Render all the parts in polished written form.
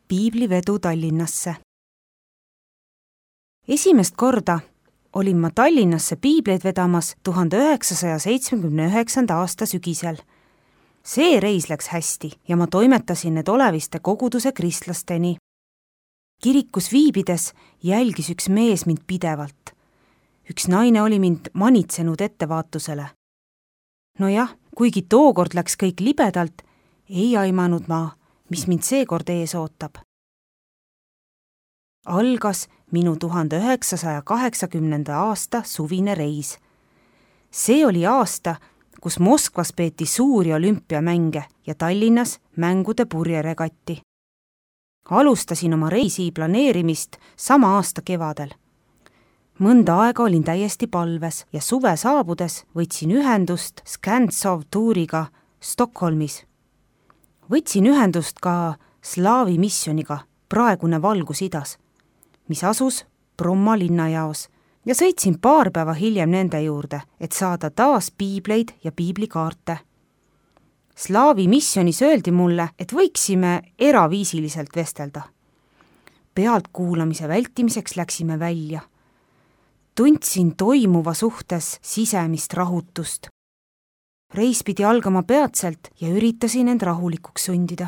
piiblivedu Tallinnasse. Esimest korda olin ma Tallinnasse piibleid vedamas 1979. aasta sügisel. See reis läks hästi ja ma toimetasin need Oleviste koguduse kristlasteni. Kirikus viibides jälgis üks mees mind pidevalt. Üks naine oli mind manitsenud ettevaatusele. Nojah, kuigi tookord läks kõik libedalt, ei aimanud ma, mis mind seekord ees ootab. Algas minu 1980. aasta suvine reis. See oli aasta, kus Moskvas peeti suuri olümpiamänge ja Tallinnas mängude purjeregatti. Alustasin oma reisi planeerimist sama aasta kevadel. Mõnda aega olin täiesti palves ja suve saabudes võtsin ühendust Skantsov tuuriga Stockholmis. Võtsin ühendust ka Slaavi missioniga, praegune Valgus-Idas, mis asus Bromma linnajaos ja sõitsin paar päeva hiljem nende juurde, et saada taas piibleid ja piiblikaarte. Slaavi missionis öeldi mulle, et võiksime eraviisiliselt vestelda. Pealtkuulamise vältimiseks läksime välja. Tundsin toimuva suhtes sisemist rahutust. Reis pidi algama peatselt ja üritasin end rahulikuks sundida.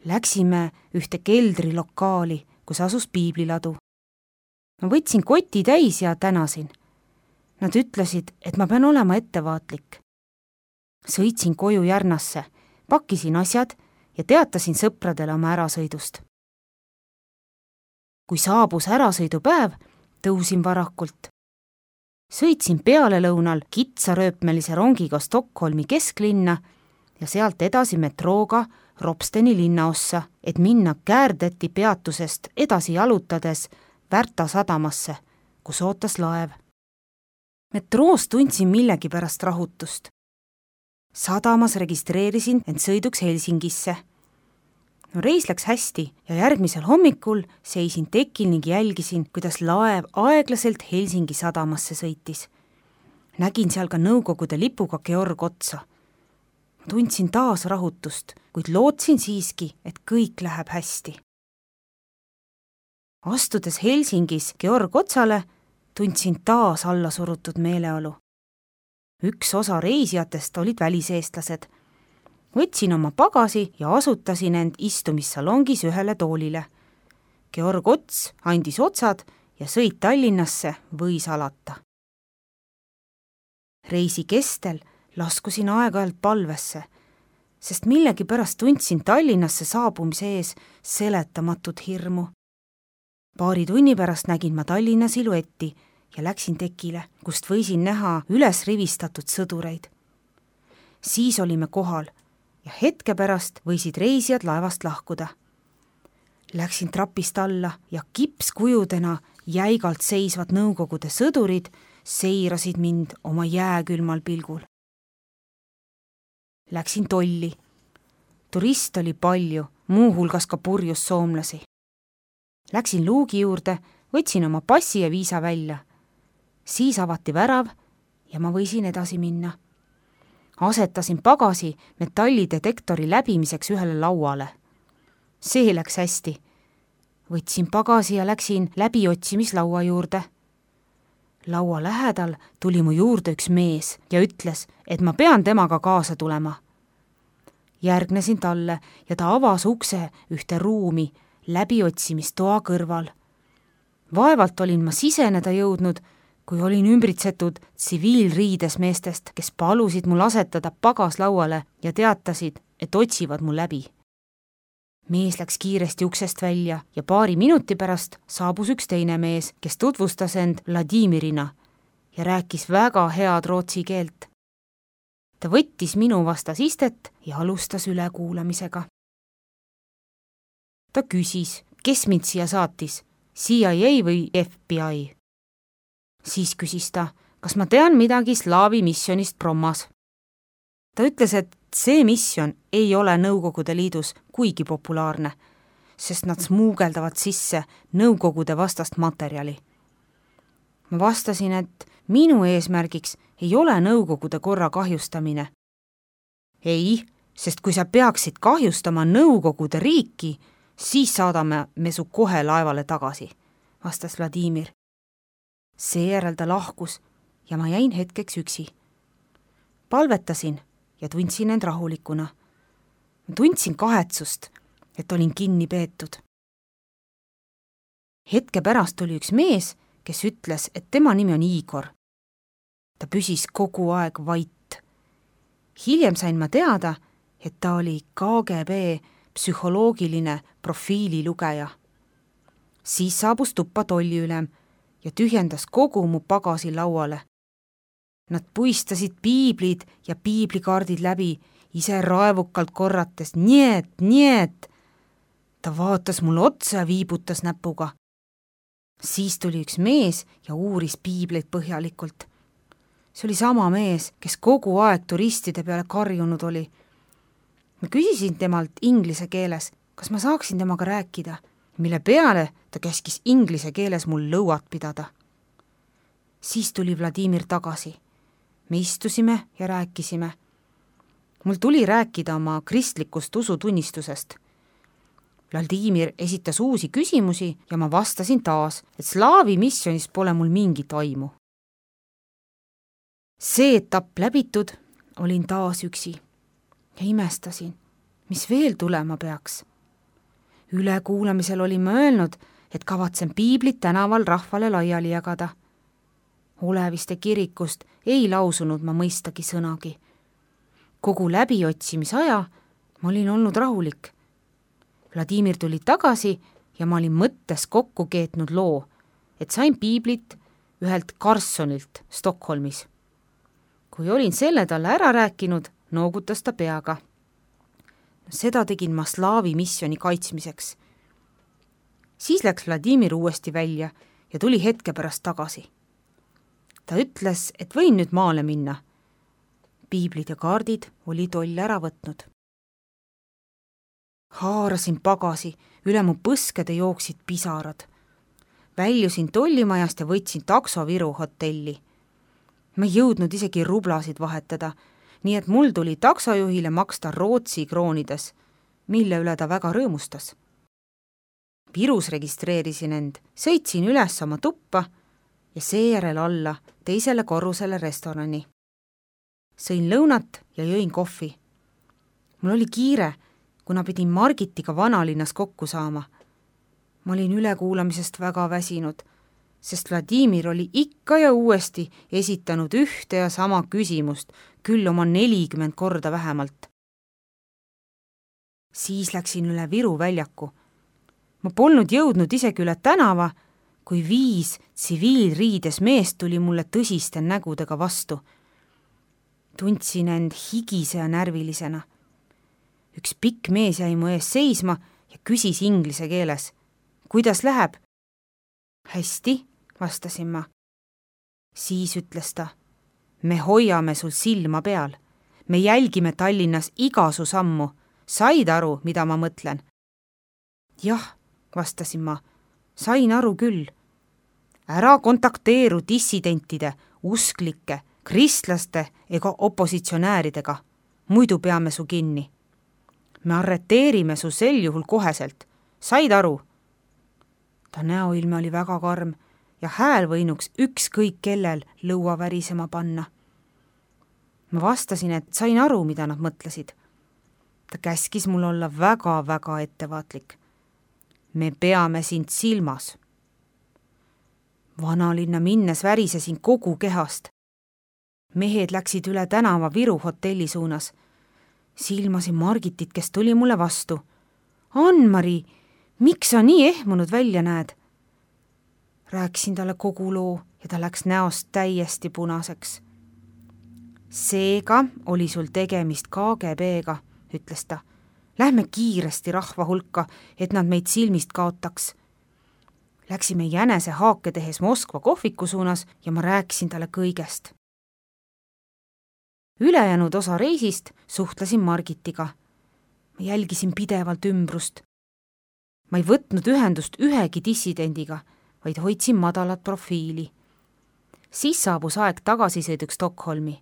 Läksime ühte keldrilokaali, kus asus piibliladu. Ma võtsin koti täis ja tänasin. Nad ütlesid, et ma pean olema ettevaatlik. Sõitsin koju Järnasse, pakkisin asjad ja teatasin sõpradele oma ärasõidust. Kui saabus ärasõidupäev, tõusin varakult. Sõitsin pealelõunal kitsarööpmelise rongiga Stockholmi kesklinna ja sealt edasi metrooga Ropsteni linnaossa, et minna Kärdeti peatusest edasi jalutades Värta sadamasse, kus ootas laev. Metroos tundsin millegi pärast rahutust. Sadamas registreerisin end sõiduks Helsingisse. Reis läks hästi ja järgmisel hommikul seisin tekil ning jälgisin, kuidas laev aeglaselt Helsingi sadamasse sõitis. Nägin seal ka Nõukogude lipuga Georg Otsa. Tundsin taas rahutust, kuid lootsin siiski, et kõik läheb hästi. Astudes Helsingis Georg Otsale, tundsin taas allasurutud meeleolu. Üks osa reisijatest olid väliseestlased. Võtsin oma pagasi ja asutasin end istumissalongis ühele toolile. Georg Ots andis otsad ja sõit Tallinnasse võis alata. Reisi kestel laskusin aeg-ajalt palvesse, sest millegi pärast tundsin Tallinnasse saabumise ees seletamatut hirmu. Paari tunni pärast nägin ma Tallinna siluetti ja läksin tekile, kust võisin näha üles rivistatud sõdureid. Siis olime kohal ja hetke pärast võisid reisijad laevast lahkuda. Läksin trapist alla ja kipskujudena jäigalt seisvad Nõukogude sõdurid seirasid mind oma jääkülmal pilgul. Läksin tolli. Turist oli palju, muuhulgas ka purjus soomlasi. Läksin luugi juurde, võtsin oma passi ja viisa välja. Siis avati värav ja ma võisin edasi minna. Asetasin pagasi metallidetektori läbimiseks ühele lauale. See läks hästi. Võtsin pagasi ja läksin läbiotsimislaua juurde. Laua lähedal tuli mu juurde üks mees ja ütles, et ma pean temaga kaasa tulema. Järgnesin talle ja ta avas ukse ühte ruumi läbiotsimistoa kõrval. Vaevalt olin ma siseneda jõudnud, kui olin ümbritsetud tsiviilriides meestest, kes palusid mul asetada pagas lauale ja teatasid, et otsivad mul läbi. Mees läks kiiresti uksest välja ja paari minuti pärast saabus üks teine mees, kes tutvustas end Vladimirina ja rääkis väga head rootsi keelt. Ta võttis minu vastas istet ja alustas ülekuulamisega. Ta küsis, kes mind siia saatis, CIA või FBI. Siis küsis ta, kas ma tean midagi Slaavi missionist Brommas. Ta ütles, et see misjon ei ole Nõukogude Liidus kuigi populaarne, sest nad smuugeldavad sisse Nõukogude vastast materjali. Ma vastasin, et minu eesmärgiks ei ole Nõukogude korra kahjustamine. Ei, sest kui sa peaksid kahjustama Nõukogude riiki, siis saadame me su kohe laevale tagasi, vastas Vladimir. Seejärel ta lahkus ja ma jäin hetkeks üksi. Palvetasin ja tundsin end rahulikuna. Ma tundsin kahetsust, et olin kinni peetud. Hetke pärast tuli üks mees, kes ütles, et tema nimi on Igor. Ta püsis kogu aeg vait. Hiljem sain ma teada, et ta oli KGB psühholoogiline profiililugeja. Siis saabus tuppa tolliülem ja tühjendas kogu mu pagasi lauale. Nad puistasid piiblid ja piiblikaardid läbi, ise raevukalt korrates niet. Ta vaatas mulle otsa ja viibutas näpuga. Siis tuli üks mees ja uuris piibleid põhjalikult. See oli sama mees, kes kogu aeg turistide peale karjunud oli. Ma küsisin temalt inglise keeles, kas ma saaksin temaga rääkida, mille peale ta käskis inglise keeles mul lõuat pidada. Siis tuli Vladimir tagasi. Me istusime ja rääkisime. Mul tuli rääkida oma kristlikust usutunnistusest. Vladimir esitas uusi küsimusi ja ma vastasin taas, et slaavi missionis pole mul mingit aimu. See etapp läbitud, olin taas üksi ja imestasin, mis veel tulema peaks. Ülekuulamisel olin ma öelnud, et kavatsen piiblit tänaval rahvale laiali jagada. Oleviste kirikust ei lausunud ma mõistagi sõnagi. Kogu läbiotsimisaja ma olin olnud rahulik. Vladimir tuli tagasi ja ma olin mõttes kokku keetnud loo, et sain piiblit ühelt Carsonilt Stockholmis. Kui olin selle talle ära rääkinud, noogutas ta peaga. Seda tegin ma slaavi missiooni kaitsmiseks. Siis läks Vladimir uuesti välja ja tuli hetke pärast tagasi. Ta ütles, et võin nüüd maale minna. Piiblid ja kaardid oli toll ära võtnud. Haarasin pagasi, üle mu põskede jooksid pisarad. Väljusin tollimajast ja võtsin takso Viru hotelli. Ma ei jõudnud isegi rublasid vahetada, nii et mul tuli taksojuhile maksta Rootsi kroonides, mille üle ta väga rõõmustas. Virus registreerisin end, sõitsin üles oma tuppa ja seejärel alla teisele korrusele restorani. Sõin lõunat ja jõin kohvi. Mul oli kiire, kuna pidin Margitiga vanalinnas kokku saama. Ma olin ülekuulamisest väga väsinud, sest Vladimir oli ikka ja uuesti esitanud ühte ja sama küsimust, küll oma 40 korda vähemalt. Siis läksin üle Viru väljaku. Ma polnud jõudnud isegi üle tänava, kui 5 tsiviilriides meest tuli mulle tõsiste nägudega vastu. Tundsin end higise ja närvilisena. Üks pikk mees jäi mu ees seisma ja küsis inglise keeles. Kuidas läheb? Hästi, vastasin ma. Siis ütles ta, me hoiame sul silma peal. Me jälgime Tallinnas iga su sammu. Said aru, mida ma mõtlen? Jah, vastasin ma. Sain aru küll. Ära kontakteeru dissidentide, usklike, kristlaste ega opositsionääridega. Muidu peame su kinni. Me arreteerime su sel juhul koheselt. Said aru? Ta näoilme oli väga karm ja hääl võinuks ükskõik kellel lõua värisema panna. Ma vastasin, et sain aru, mida nad mõtlesid. Ta käskis mul olla väga-väga ettevaatlik. Me peame sind silmas. Vanalinna minnes värisesin kogu kehast. Mehed läksid üle tänava Viru hotelli suunas. Silmasin Margitit, kes tuli mulle vastu. Ann-Mari, miks sa nii ehmunud välja näed? Rääkisin talle kogu loo ja ta läks näost täiesti punaseks. Seega oli sul tegemist KGB-ga, ütles ta. Lähme kiiresti rahva hulka, et nad meid silmist kaotaks. Läksime jänese haake tehes Moskva kohviku suunas ja ma rääkisin talle kõigest. Ülejäänud osa reisist suhtlesin Margitiga. Ma jälgisin pidevalt ümbrust. Ma ei võtnud ühendust ühegi dissidendiga, vaid hoidsin madalat profiili. Siis saabus aeg tagasisõiduks Stockholmi.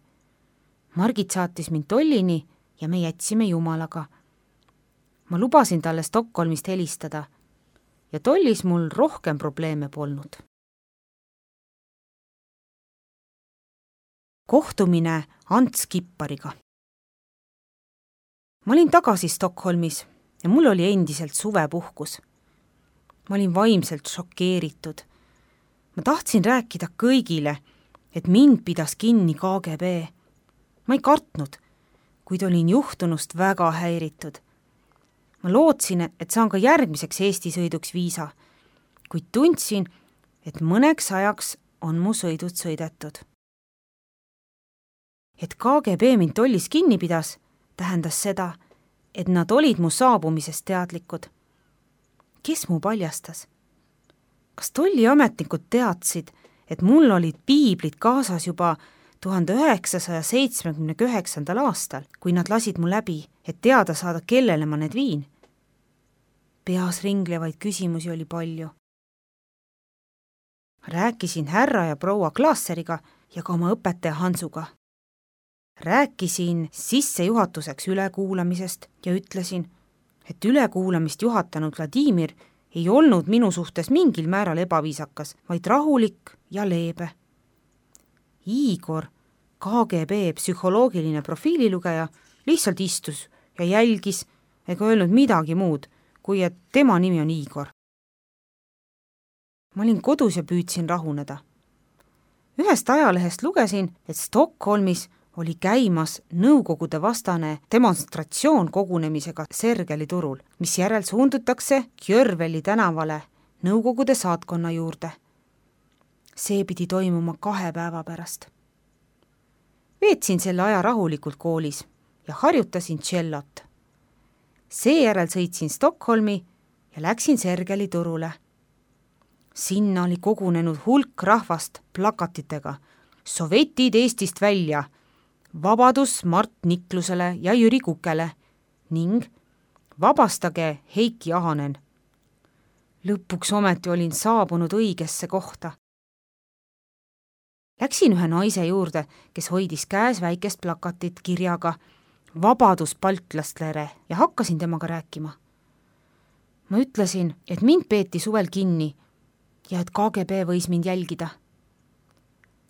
Margit saatis mind tollini ja me jätsime Jumalaga. ma lubasin talle Stockholmist helistada ja tollis mul rohkem probleeme polnud. Kohtumine Ants Kippariga. Ma olin tagasi Stockholmis ja mul oli endiselt suvepuhkus. Ma olin vaimselt šokeeritud. Ma tahtsin rääkida kõigile, et mind pidas kinni KGB. Ma ei kartnud, kuid olin juhtunust väga häiritud. Ma lootsin, et saan ka järgmiseks Eesti sõiduks viisa, kuid tundsin, et mõneks ajaks on mu sõidud sõidetud. Et KGB mind tollis kinni pidas, tähendas seda, et nad olid mu saabumisest teadlikud. Kes mu paljastas? Kas tolliametnikud teadsid, et mul olid piiblid kaasas juba 1979. aastal, kui nad lasid mu läbi, et teada saada, kellele ma need viin? Peas ringlevaid küsimusi oli palju. Rääkisin härra ja proua Klaasseriga ja ka oma õpetaja Hansuga. Rääkisin sissejuhatuseks ülekuulamisest ja ütlesin, et ülekuulamist juhatanud Vladimir ei olnud minu suhtes mingil määral ebaviisakas, vaid rahulik ja leebe. Igor, KGB psühholoogiline profiililugeja, lihtsalt istus ja jälgis ega öelnud midagi muud, kui et tema nimi on Igor. Ma olin kodus ja püüdsin rahuneda. Ühest ajalehest lugesin, et Stockholmis oli käimas nõukogude vastane demonstratsioon kogunemisega Sergeli turul, mis järel suundutakse Kjörveli tänavale nõukogude saatkonna juurde. See pidi toimuma 2 päeva pärast. Veetsin selle aja rahulikult koolis ja harjutasin tšellot. Seejärel sõitsin Stockholmi ja läksin Sergeli turule. Sinna oli kogunenud hulk rahvast plakatitega Sovetid Eestist välja, vabadus Mart Niklusele ja Jüri Kukele ning vabastage Heiki Ahonen. Lõpuks ometi olin saabunud õigesse kohta. Läksin ühe naise juurde, kes hoidis käes väikest plakatit kirjaga Vabadus baltlastlere ja hakkasin temaga rääkima. Ma ütlesin, et mind peeti suvel kinni ja et KGB võis mind jälgida.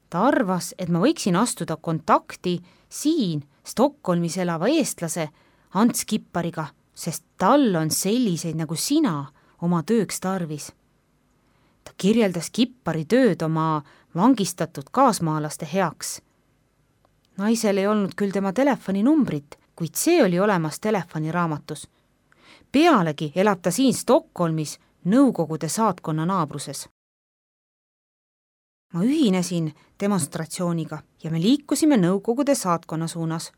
Ta arvas, et ma võiksin astuda kontakti siin Stockholmis elava eestlase Ants Kippariga, sest tal on selliseid nagu sina oma tööks tarvis. Ta kirjeldas Kippari tööd oma vangistatud kaasmaalaste heaks. Naisel ei olnud küll tema telefoninumbrit, kuid see oli olemas telefoniraamatus. Pealegi elab ta siin Stockholmis nõukogude saatkonna naabruses. Ma ühinesin demonstratsiooniga ja me liikusime nõukogude saatkonna suunas.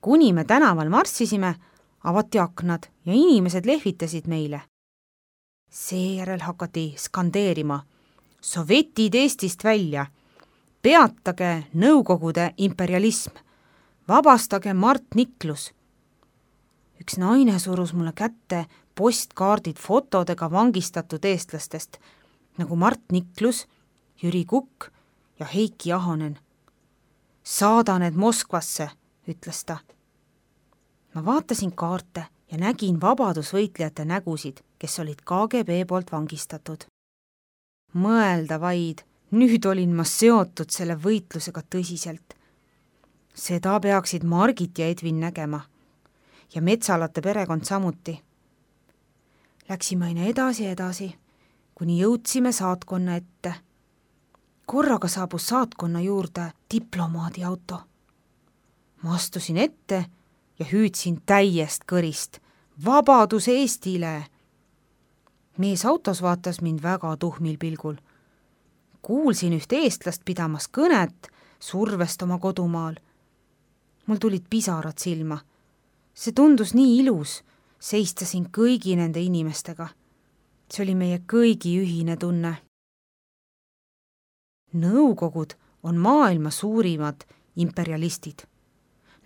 Kuni me tänaval marssisime, avati aknad ja inimesed lehvitasid meile. Seejärel hakati skandeerima Sovetid Eestist välja, peatage nõukogude imperialism, vabastage Mart Niklus. Üks naine surus mulle kätte postkaardid fotodega vangistatud eestlastest, nagu Mart Niklus, Jüri Kukk ja Heiki Ahonen. Saada need Moskvasse, ütles ta. Ma vaatasin kaarte ja nägin vabadusvõitlejate nägusid, kes olid KGB poolt vangistatud. Mõelda vaid, nüüd olin ma seotud selle võitlusega tõsiselt. Seda peaksid Margit ja Edvin nägema ja Metsalate perekond samuti. Läksime aina edasi, kuni jõudsime saatkonna ette. Korraga saabus saatkonna juurde diplomaadi auto. Ma astusin ette ja hüüdsin täiest kõrist. Vabadus Eestile! Mees autos vaatas mind väga tuhmil pilgul. Kuulsin üht eestlast pidamas kõnet survest oma kodumaal. Mul tulid pisarad silma. See tundus nii ilus, seistasin kõigi nende inimestega. See oli meie kõigi ühine tunne. Nõukogud on maailma suurimad imperialistid.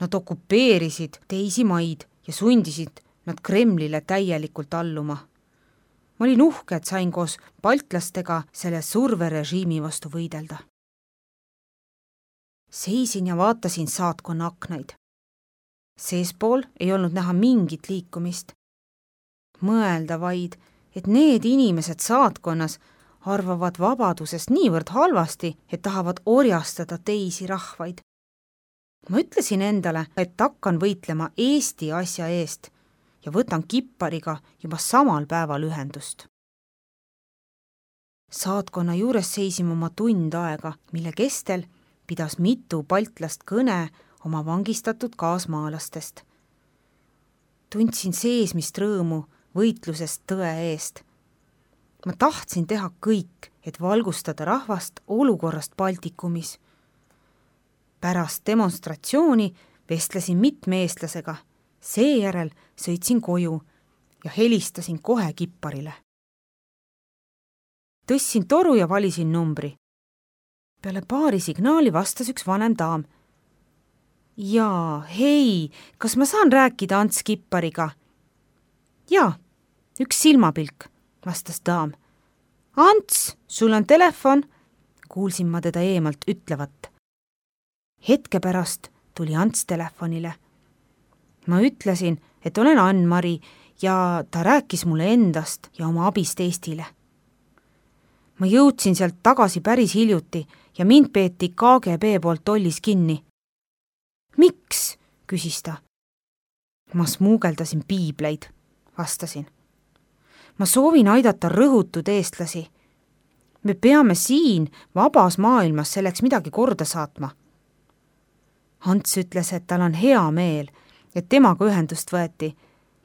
Nad okupeerisid teisi maid ja sundisid nad Kremlile täielikult alluma. Ma olin uhke, et sain koos baltlastega selle surverežiimi vastu võidelda. Seisin ja vaatasin saatkonna aknaid. Seespool ei olnud näha mingit liikumist. Mõelda vaid, et need inimesed saatkonnas arvavad vabadusest niivõrd halvasti, et tahavad orjastada teisi rahvaid. Ma ütlesin endale, et hakkan võitlema Eesti asja eest ja võtan Kippariga juba samal päeval ühendust. Saatkonna juures seisime oma tund aega, mille kestel pidas mitu baltlast kõne oma vangistatud kaasmaalastest. Tundsin seesmist rõõmu võitlusest tõe eest. Ma tahtsin teha kõik, et valgustada rahvast olukorrast Baltikumis. Pärast demonstratsiooni vestlesin mitme eestlasega, seejärel sõitsin koju ja helistasin kohe Kipparile. Tõstsin toru ja valisin numbri. Peale paari signaali vastas üks vanem daam. Jaa, hei, kas ma saan rääkida Ants Kippariga? Jaa, üks silmapilk, vastas daam. Ants, sul on telefon, kuulsin ma teda eemalt ütlevat. Hetke pärast tuli Ants telefonile. Ma ütlesin, et olen Ann-Mari ja ta rääkis mulle endast ja oma abist Eestile. Ma jõudsin sealt tagasi päris hiljuti ja mind peeti KGB poolt tollis kinni. Miks? Küsis ta. Ma smuugeldasin piibleid, vastasin. Ma soovin aidata rõhutud eestlasi. Me peame siin vabas maailmas selleks midagi korda saatma. Ants ütles, et tal on hea meel, et temaga ühendust võeti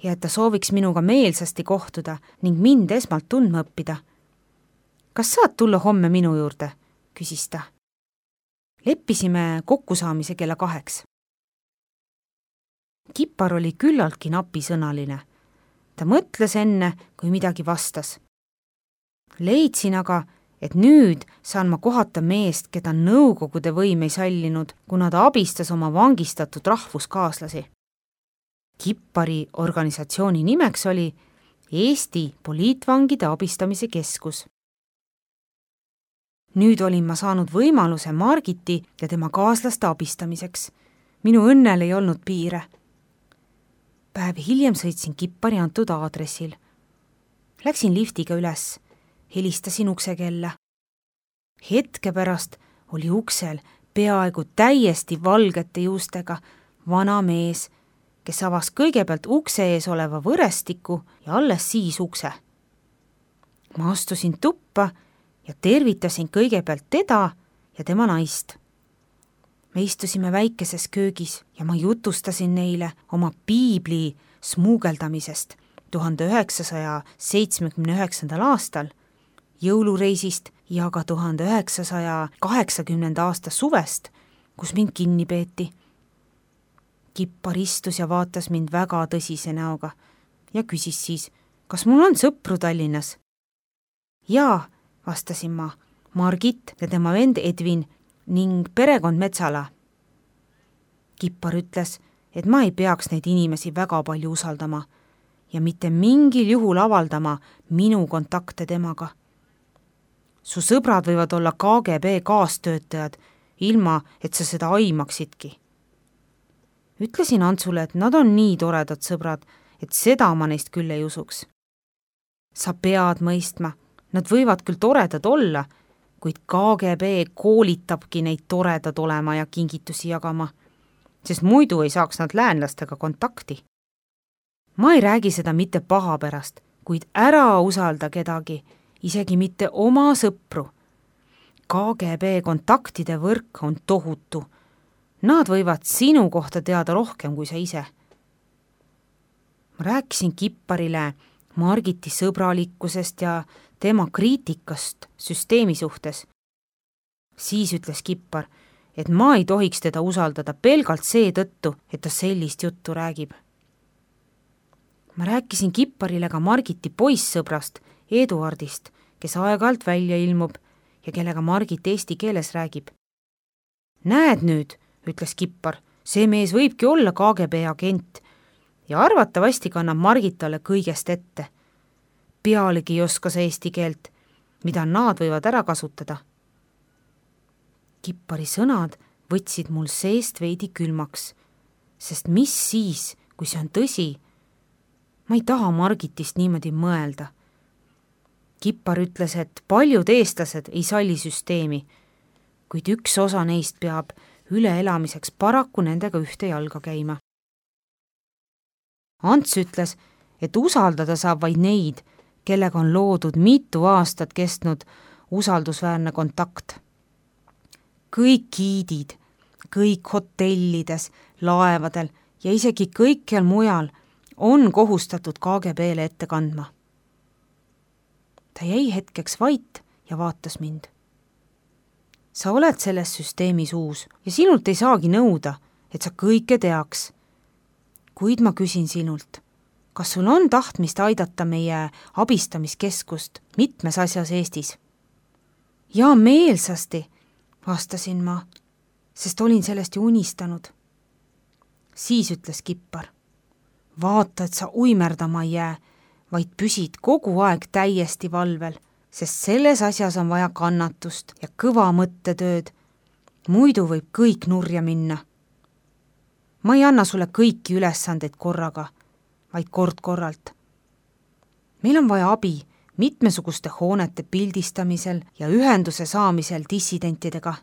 ja et ta sooviks minuga meelsasti kohtuda ning mind esmalt tundma õppida. Kas saad tulla homme minu juurde? Küsis ta. Leppisime kokkusaamise kella 2. Kippar oli küllaltki napisõnaline. Ta mõtles enne, kui midagi vastas. Leidsin aga, et nüüd saan ma kohata meest, keda nõukogude võim ei sallinud, kuna ta abistas oma vangistatud rahvuskaaslasi. Kippari organisatsiooni nimeks oli Eesti poliitvangide abistamise keskus. Nüüd olin ma saanud võimaluse Margiti ja tema kaaslaste abistamiseks. Minu õnnel ei olnud piire. Päev hiljem sõitsin Kippari antud aadressil. Läksin liftiga üles, helistasin uksekella. Hetke pärast oli uksel peaaegu täiesti valgete juustega vana mees, kes avas kõigepealt ukse ees oleva võrestiku ja alles siis ukse. Ma astusin tuppa ja tervitasin kõigepealt teda ja tema naist. Me istusime väikeses köögis ja ma jutustasin neile oma piibli smuugeldamisest 1979. aastal, jõulureisist ja ka 1980. aasta suvest, kus mind kinni peeti. Kippar istus ja vaatas mind väga tõsise näoga ja küsis siis, kas mul on sõpru Tallinnas? Jaa, vastasin ma, Margit ja tema vend Edvin ning perekond Metsala. Kippar ütles, et ma ei peaks neid inimesi väga palju usaldama ja mitte mingil juhul avaldama minu kontakte temaga. Su sõbrad võivad olla KGB kaastöötajad, ilma et sa seda aimaksidki. Ütlesin Antsule, et nad on nii toredad sõbrad, et seda ma neist küll ei usuks. Sa pead mõistma, nad võivad küll toredad olla, kuid KGB koolitabki neid toredad olema ja kingitusi jagama, sest muidu ei saaks nad läänlastega kontakti. Ma ei räägi seda mitte paha pärast, kuid ära usalda kedagi, isegi mitte oma sõpru. KGB kontaktide võrk on tohutu. Nad võivad sinu kohta teada rohkem kui sa ise. Ma rääkisin Kipparile Margiti sõbralikkusest ja tema kriitikast süsteemi suhtes. Siis ütles Kippar, et ma ei tohiks teda usaldada pelgalt seetõttu, et ta sellist juttu räägib. Ma rääkisin Kipparile ka Margiti poissõbrast, Eduardist, kes aeg-ajalt välja ilmub ja kellega Margit eesti keeles räägib. Näed nüüd, ütles Kippar, see mees võibki olla KGB agent ja arvatavasti kannab Margit talle kõigest ette. Pealegi ei oska see eesti keelt, mida nad võivad ära kasutada. Kippari sõnad võtsid mul seest veidi külmaks, sest mis siis, kui see on tõsi? ma ei taha Margitist niimoodi mõelda. Kippar ütles, et paljud eestlased ei salli süsteemi, kuid üks osa neist peab üleelamiseks paraku nendega ühte jalga käima. Ants ütles, et usaldada saab vaid neid, kellega on loodud mitu aastat kestnud usaldusväärne kontakt. Kõik giidid, kõik hotellides, laevadel ja isegi kõikjal mujal on kohustatud KGB-le ette kandma. Ta jäi hetkeks vait ja vaatas mind. Sa oled selles süsteemis uus ja sinult ei saagi nõuda, et sa kõike teaks. Kuid ma küsin sinult, kas sul on tahtmist aidata meie abistamiskeskust mitmes asjas Eestis? Ja meelsasti, vastasin ma, sest olin sellest ju unistanud. Siis ütles Kippar, vaata, et sa uimerdama ei jää, vaid püsid kogu aeg täiesti valvel, sest selles asjas on vaja kannatust ja kõva mõttetööd. Muidu võib kõik nurja minna. Ma ei anna sulle kõiki ülesandeid korraga, vaid kord-korralt. Meil on vaja abi mitmesuguste hoonete pildistamisel ja ühenduse saamisel dissidentidega.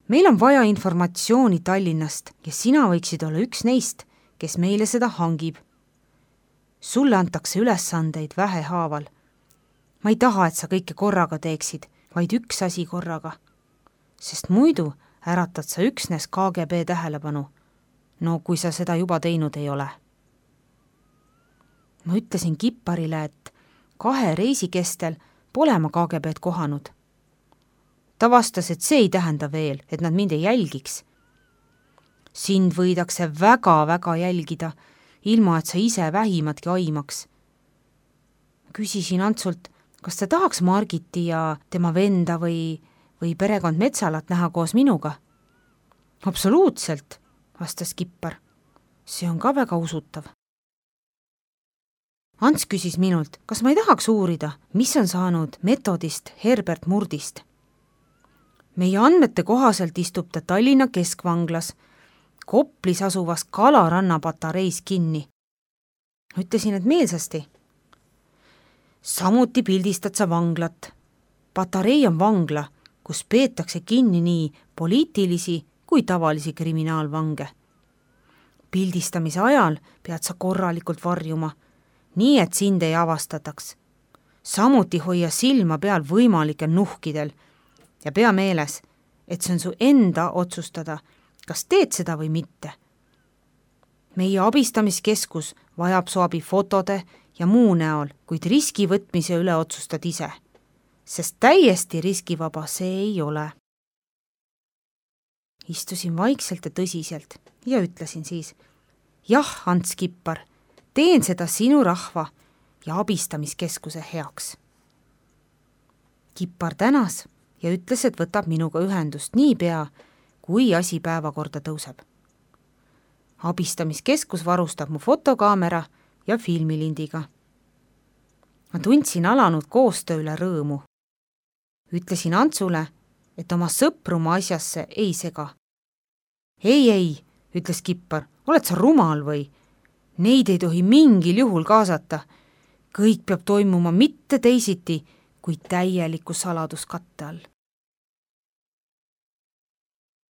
Meil on vaja informatsiooni Tallinnast ja sina võiksid olla üks neist, kes meile seda hangib. Sulle antakse ülesandeid vähehaaval. Ma ei taha, et sa kõike korraga teeksid, vaid üks asi korraga. Sest muidu äratad sa üksnes KGB tähelepanu. No kui sa seda juba teinud ei ole. Ma ütlesin Kipparile, et 2 reisi kestel pole ma KGB-d kohanud. Ta vastas, et see ei tähenda veel, et nad mind ei jälgiks. Sind võidakse väga-väga jälgida, ilma et sa ise vähimatki aimaks. Küsisin Antsult, kas ta tahaks Margiti ja tema venda või perekond Metsalat näha koos minuga. Absoluutselt, vastas Kippar. See on ka väga usutav. Ants küsis minult, kas ma ei tahaks uurida, mis on saanud metodist Herbert Murdist. Meie andmete kohaselt istub ta Tallinna keskvanglas, Koplis asuvas Kalaranna patareis kinni. Ütlesin, et meelsasti. Samuti pildistad sa vanglat. Patarei on vangla, kus peetakse kinni nii poliitilisi kui tavalisi kriminaalvange. Pildistamise ajal pead sa korralikult varjuma, nii et sind ei avastataks. Samuti hoia silma peal võimalikel nuhkidel ja pea meeles, et see on su enda otsustada, kas teed seda või mitte. Meie abistamiskeskus vajab su abi fotode ja muu näol, kuid riski võtmise üle otsustad ise, sest täiesti riskivaba see ei ole. Istusin vaikselt ja tõsiselt ja ütlesin siis, jah, Ants Kippar, teen seda sinu rahva ja abistamiskeskuse heaks. Kippar tänas ja ütles, et võtab minuga ühendust niipea, kui asi päevakorda tõuseb. Abistamiskeskus varustab mu fotokaamera ja filmilindiga. Ma tundsin alanud koostöö üle rõõmu. Ütlesin Antsule, et oma sõpru ma asjasse ei sega. Ei, ütles Kippar, oled sa rumal või? Neid ei tohi mingil juhul kaasata. Kõik peab toimuma mitte teisiti kui täieliku saladuskatte all.